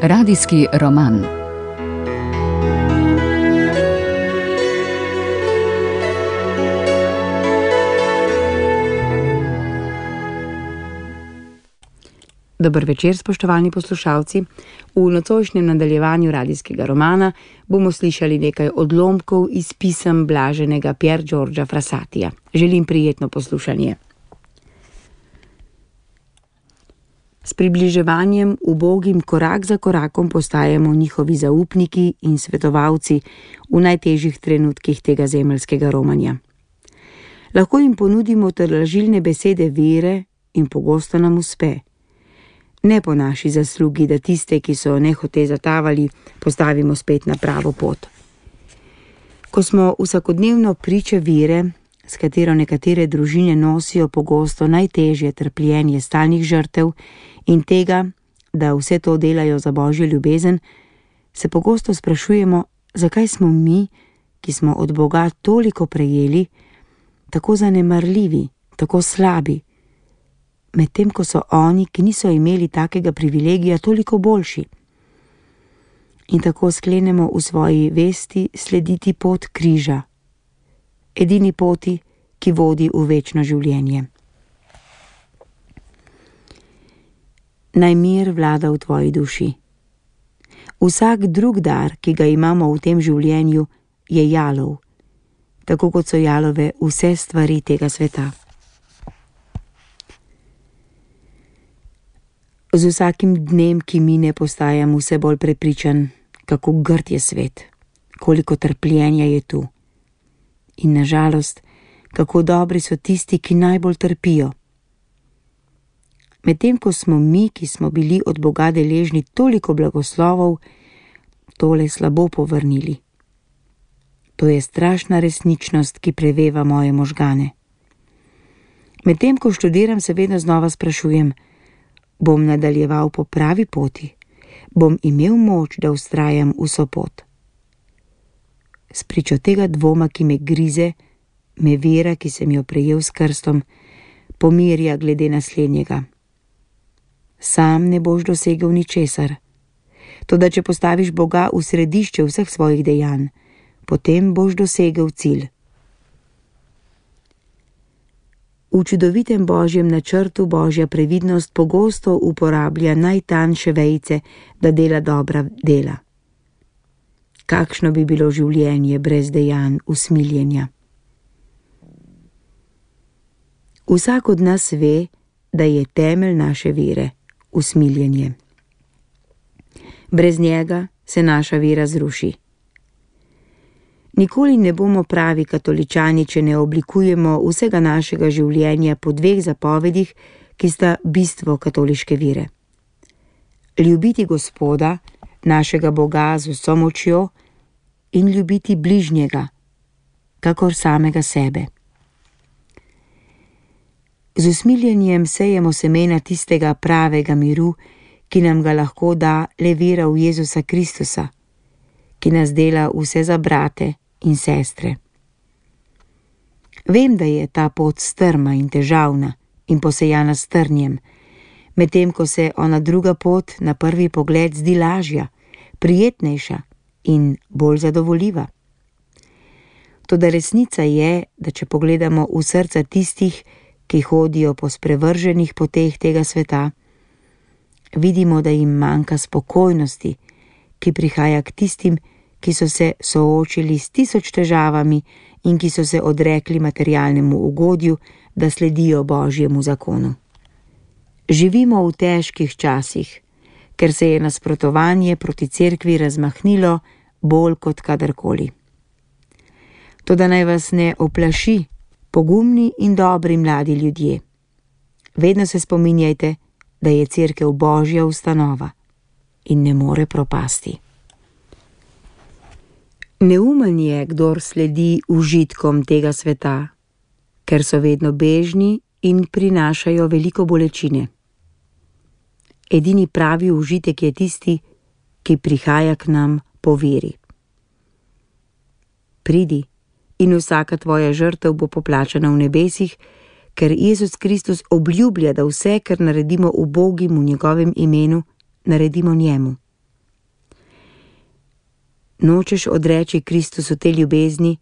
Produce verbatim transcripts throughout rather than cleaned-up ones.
Radijski roman. Dober večer, spoštovani poslušalci. V nocojšnjem nadaljevanju radijskega romana bomo slišali nekaj odlomkov iz pisem blaženega Pier Giorgia Frassatija. Želim prijetno poslušanje. S približevanjem ubogim korak za korakom postajamo njihovi zaupniki in svetovalci v najtežjih trenutkih tega zemeljskega romanja. Lahko jim ponudimo tolažilne besede vere in pogosto nam uspe. Ne po naši zaslugi, da tiste, ki so nehote zatavali, postavimo spet na pravo pot. Ko smo vsakodnevno priče vere, s katero nekatere družine nosijo pogosto najtežje trpljenje stalnih žrtev in tega, da vse to delajo za Božjo ljubezen, se pogosto sprašujemo, zakaj smo mi, ki smo od Boga toliko prejeli, tako zanemarljivi, tako slabi, medtem ko so oni, ki niso imeli takega privilegija, toliko boljši. In tako sklenemo v svoji vesti slediti pot križa, edini poti, ki vodi v večno življenje. Naj mir vlada v tvoji duši. Vsak drug dar, ki ga imamo v tem življenju, je jalov, tako kot so jalove vse stvari tega sveta. Z vsakim dnem, ki mine, postajam vse bolj prepričan, kako grd je svet, koliko trpljenja je tu. In na žalost, kako dobri so tisti, ki najbolj trpijo. Medtem ko smo mi, ki smo bili od Boga deležni toliko blagoslovov, tole slabo povrnili. To je strašna resničnost, ki preveva moje možgane. Medtem ko študiram, se vedno znova sprašujem, bom nadaljeval po pravi poti, bom imel moč, da vztrajam vso pot. Spričo tega dvoma, ki me grize, me vera, ki sem jo prejel s krstom, pomirja glede naslednjega. Sam ne boš dosegel ničesar. Toda če postaviš Boga v središče vseh svojih dejanj, potem boš dosegel cilj. V čudovitem Božjem načrtu Božja previdnost pogosto uporablja najtanjše vejice, da dela dobra dela. Kakšno bi bilo življenje brez dejanj usmiljenja? Vsak od nas ve, da je temelj naše vere usmiljenje. Brez njega se naša vera zruši. Nikoli ne bomo pravi katoličani, če ne oblikujemo vsega našega življenja po dveh zapovedih, ki sta bistvo katoliške vere. Ljubiti Gospoda, našega Boga z vso močjo, in ljubiti bližnjega, kakor samega sebe. Z usmiljenjem sejemo semena tistega pravega miru, ki nam ga lahko da le vera v Jezusa Kristusa, ki nas dela vse za brate in sestre. Vem, da je ta pot strma in težavna in posejana s trnjem, medtem ko se ona druga pot na prvi pogled zdi lažja, prijetnejša in bolj zadovoljiva. Toda resnica je, da če pogledamo v srca tistih, ki hodijo po sprevrženih poteh tega sveta, vidimo, da jim manjka spokojnosti, ki prihaja k tistim, ki so se soočili s tisoč težavami in ki so se odrekli materialnemu ugodju, da sledijo Božjemu zakonu. Živimo v težkih časih, ker se je nasprotovanje proti cerkvi razmahnilo bolj kot kadarkoli. Toda naj vas ne oplaši, pogumni in dobri mladi ljudje. Vedno se spominjajte, da je cerkev Božja ustanova in ne more propasti. Neumen je, kdor sledi užitkom tega sveta, ker so vedno bežni in prinašajo veliko bolečine. Edini pravi užitek je tisti, ki prihaja k nam po veri. Pridi in vsaka tvoja žrtev bo poplačana v nebesih, ker Jezus Kristus obljublja, da vse, kar naredimo ubogim v njegovem imenu, naredimo njemu. Nočeš odreči Kristusu te ljubezni,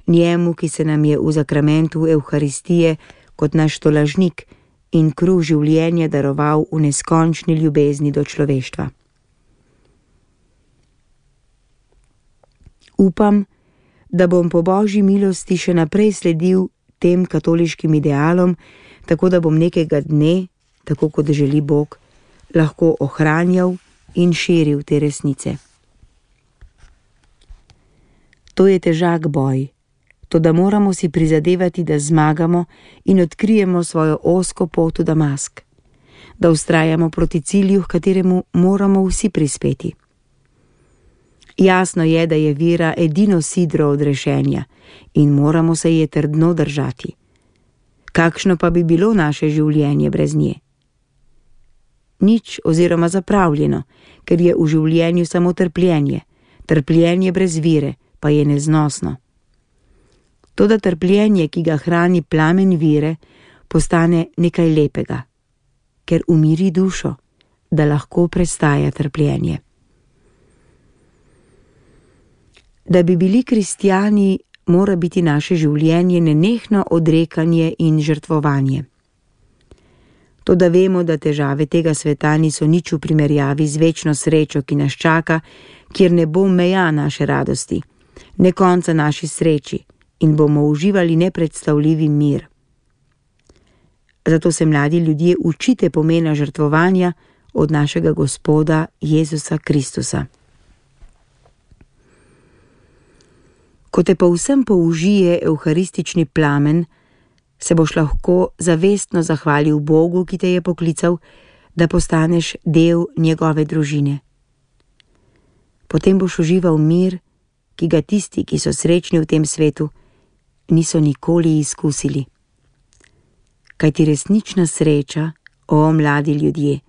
njemu, ki se nam je v zakramentu Evharistije kot naš tolažnik in kruh življenja daroval v neskončni ljubezni do človeštva. Upam, da bom po Božji milosti še naprej sledil tem katoliškim idealom, tako da bom nekega dne, tako kot želi Bog, lahko ohranjal in širil te resnice. To je težak boj, toda moramo si prizadevati, da zmagamo in odkrijemo svojo ozko pot v Damask, da vztrajamo proti cilju, h kateremu moramo vsi prispeti. Jasno je, da je vera edino sidro odrešenja in moramo se je trdno držati. Kakšno pa bi bilo naše življenje brez nje? Nič oziroma zapravljeno, ker je v življenju samo trpljenje, trpljenje brez vire pa je neznosno. Toda trpljenje, ki ga hrani plamen vire, postane nekaj lepega, ker umiri dušo, da lahko prestaja trpljenje. Da bi bili kristjani, mora biti naše življenje nenehno odrekanje in žrtvovanje. Toda vemo, da težave tega sveta niso nič v primerjavi z večno srečo, ki nas čaka, kjer ne bo meja naše radosti, ne konca naši sreči in bomo uživali nepredstavljivi mir. Zato se mladi ljudje učite pomena žrtvovanja od našega Gospoda Jezusa Kristusa. Ko te povsem použije evharistični plamen, se boš lahko zavestno zahvalil Bogu, ki te je poklical, da postaneš del njegove družine. Potem boš užival mir, ki ga tisti, ki so srečni v tem svetu, niso nikoli izkusili. Kajti resnična sreča, o mladi ljudje,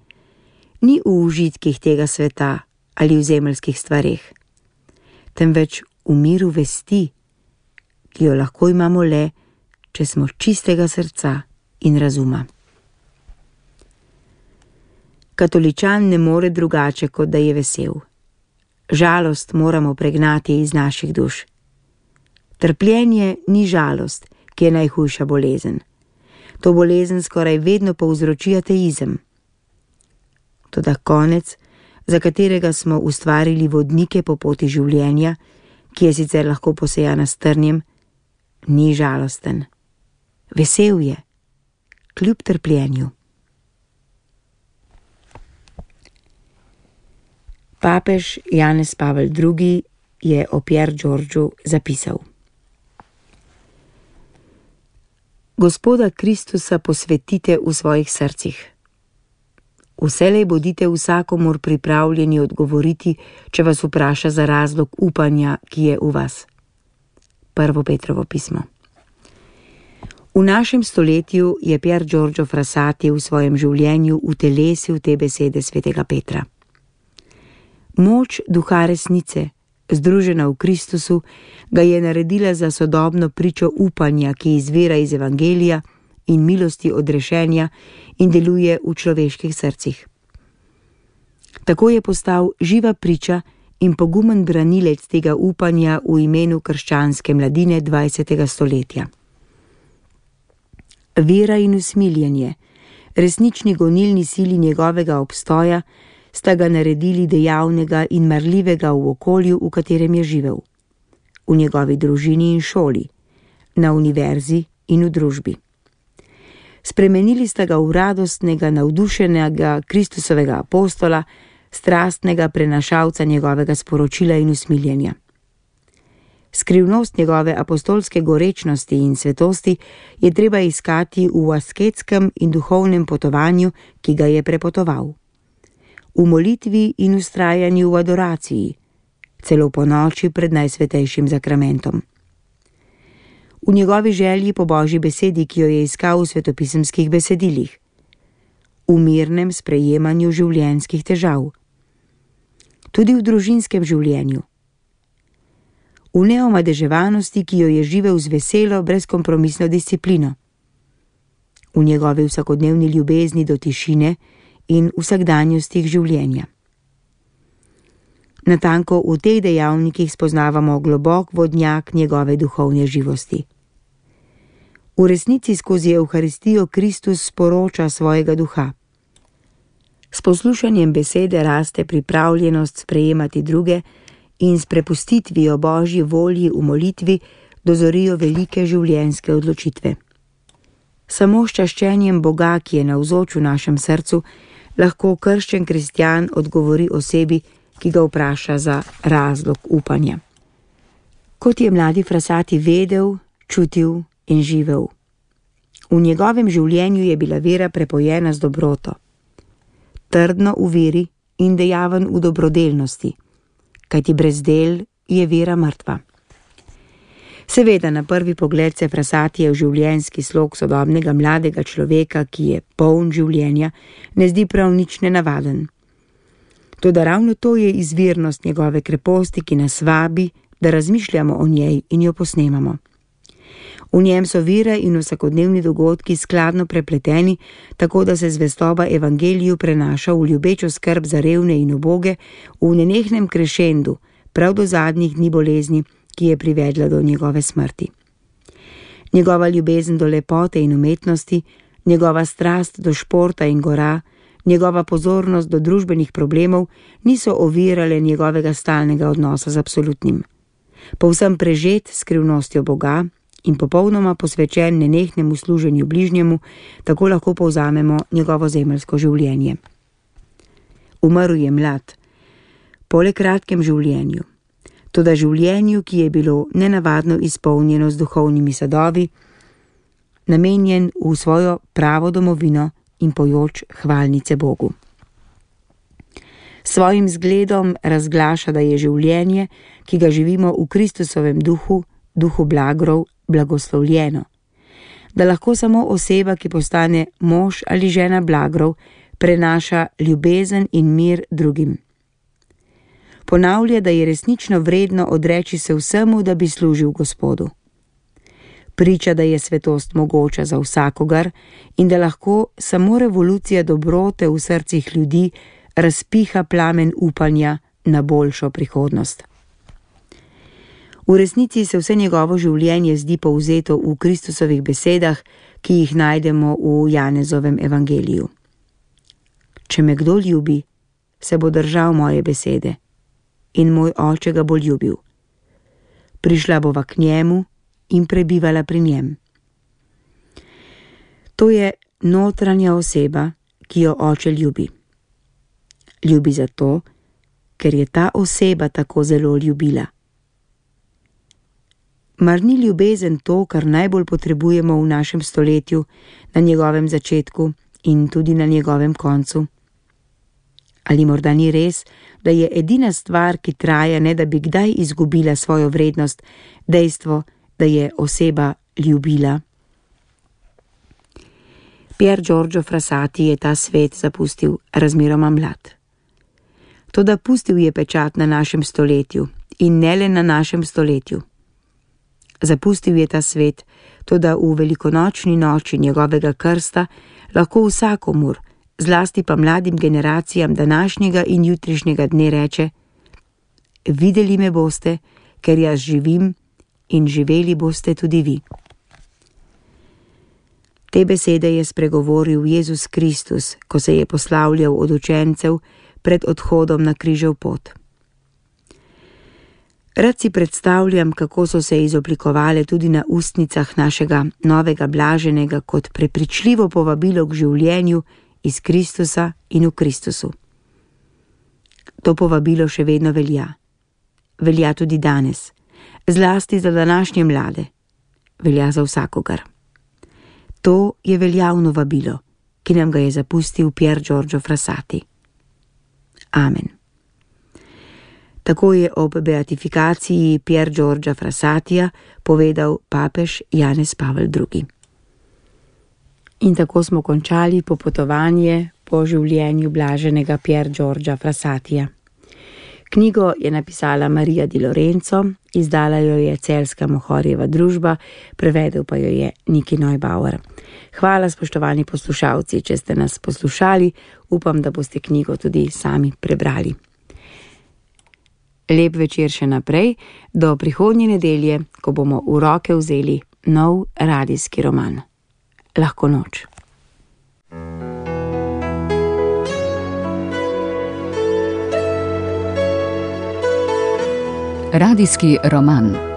ni v užitkih tega sveta ali v zemeljskih stvareh, temveč v miru vesti, ki jo lahko imamo le, če smo čistega srca in razuma. Katoličan ne more drugače, kot da je vesel. Žalost moramo pregnati iz naših duš. Trpljenje ni žalost, ki je najhujša bolezen. To bolezen skoraj vedno povzroči ateizem. Toda konec, za katerega smo ustvarili vodnike po poti življenja, ki je sicer lahko posejana s trnjem, ni žalosten. Vesel je, kljub trpljenju. Papež Janez Pavel drugi je o Pier Giorgiu zapisal: Gospoda Kristusa posvetite v svojih srcih. Vselej bodite vsakomur pripravljeni odgovoriti, če vas vpraša za razlog upanja, ki je v vas. Prvo Petrovo pismo. V našem stoletju je Pier Giorgio Frassati v svojem življenju utelesil te besede svetega Petra. Moč duha resnice, združena v Kristusu, ga je naredila za sodobno pričo upanja, ki izvira iz evangelija in milosti odrešenja in deluje v človeških srcih. Tako je postal živa priča in pogumen branilec tega upanja v imenu krščanske mladine dvajsetega stoletja. Vera in usmiljenje, resnični gonilni sili njegovega obstoja, sta ga naredili dejavnega in marljivega v okolju, v katerem je živel, v njegovi družini in šoli, na univerzi in v družbi. Spremenili sta ga v radostnega, navdušenega Kristusovega apostola, strastnega prenašalca njegovega sporočila in usmiljenja. Skrivnost njegove apostolske gorečnosti in svetosti je treba iskati v asketskem in duhovnem potovanju, ki ga je prepotoval. V molitvi in vztrajanju v adoraciji, celo po noči pred najsvetejšim zakramentom. V njegovi želji po Božji besedi, ki jo je iskal v svetopisemskih besedilih. V mirnem sprejemanju življenjskih težav. Tudi v družinskem življenju. V neomadeževanosti, ki jo je živel z veselo, brezkompromisno disciplino. V njegovi vsakodnevni ljubezni do tišine in vsakdanjostih življenja. Natanko v teh dejavnikih spoznavamo globok vodnjak njegove duhovne živosti. V resnici skozi Evharistijo Kristus sporoča svojega duha. S poslušanjem besede raste pripravljenost sprejemati druge in s prepustitvijo Božji volji v molitvi dozorijo velike življenjske odločitve. Samo s čaščenjem Boga, ki je navzoč v našem srcu, lahko krščen kristjan odgovori osebi, ki ga vpraša za razlog upanja. Kot je mladi Frassati vedel, čutil in živel. V njegovem življenju je bila vera prepojena z dobroto. Trdno v veri in dejaven v dobrodelnosti, kajti brez del je vera mrtva. Seveda na prvi pogled se Frassatijev življenjski slog sodobnega mladega človeka, ki je poln življenja, ne zdi prav nič nenavaden. Toda ravno to je izvirnost njegove kreposti, ki nas vabi, da razmišljamo o njej in jo posnemamo. V njem so vera in vsakodnevni dogodki skladno prepleteni, tako da se zvestoba evangeliju prenaša v ljubečo skrb za revne in uboge v nenehnem krešendu, prav do zadnjih dni bolezni, ki je privedla do njegove smrti. Njegova ljubezen do lepote in umetnosti, njegova strast do športa in gora, njegova pozornost do družbenih problemov niso ovirale njegovega stalnega odnosa z absolutnim. Povsem prežet skrivnostjo Boga in popolnoma posvečen nenehnemu služenju bližnjemu, tako lahko povzamemo njegovo zemeljsko življenje. Umrl je mlad, po le kratkem življenju, toda življenju, ki je bilo nenavadno izpolnjeno z duhovnimi sadovi, namenjen v svojo pravo domovino in pojoč hvalnice Bogu. Svojim zgledom razglaša, da je življenje, ki ga živimo v Kristusovem duhu, duhu blagrov, blagoslovljeno, da lahko samo oseba, ki postane mož ali žena blagrov, prenaša ljubezen in mir drugim. Ponavlja, da je resnično vredno odreči se vsemu, da bi služil Gospodu. Priča, da je svetost mogoča za vsakogar in da lahko samo revolucija dobrote v srcih ljudi razpiha plamen upanja na boljšo prihodnost. V resnici se vse njegovo življenje zdi povzeto v Kristusovih besedah, ki jih najdemo v Janezovem evangeliju. Če me kdo ljubi, se bo držal moje besede in moj oče ga bo ljubil. Prišla bova k njemu in prebivala pri njem. To je notranja oseba, ki jo oče ljubi. Ljubi zato, ker je ta oseba tako zelo ljubila. Mar ni ljubezen to, kar najbolj potrebujemo v našem stoletju, na njegovem začetku in tudi na njegovem koncu? Ali morda ni res, da je edina stvar, ki traja, ne da bi kdaj izgubila svojo vrednost, dejstvo, da je oseba ljubila? Pier Giorgio Frassati je ta svet zapustil razmeroma mlad. Toda pustil je pečat na našem stoletju in ne le na našem stoletju. Zapustil je ta svet, toda v velikonočni noči njegovega krsta lahko vsakomur, zlasti pa mladim generacijam današnjega in jutrišnjega dne reče: videli me boste, ker jaz živim, in živeli boste tudi vi. Te besede je spregovoril Jezus Kristus, ko se je poslavljal od učencev pred odhodom na križev pot. Rad si predstavljam, kako so se izoblikovale tudi na ustnicah našega novega blaženega kot prepričljivo povabilo k življenju iz Kristusa in v Kristusu. To povabilo še vedno velja. Velja tudi danes, zlasti za današnje mlade. Velja za vsakogar. To je veljavno vabilo, ki nam ga je zapustil Pier Giorgio Frassati. Amen. Tako je ob beatifikaciji Pier Giorgia Frassatija povedal papež Janez Pavel drugi. In tako smo končali popotovanje po življenju blaženega Pier Giorgia Frassatija. Knjigo je napisala Marija Di Lorenzo, izdala jo je Celjska Mohorjeva družba, prevedel pa jo je Niki Neubauer. Hvala, spoštovani poslušalci, če ste nas poslušali, upam, da boste knjigo tudi sami prebrali. Lep večer še naprej, do prihodnje nedelje, ko bomo v roke vzeli nov radijski roman. Lahko noč. Radijski roman.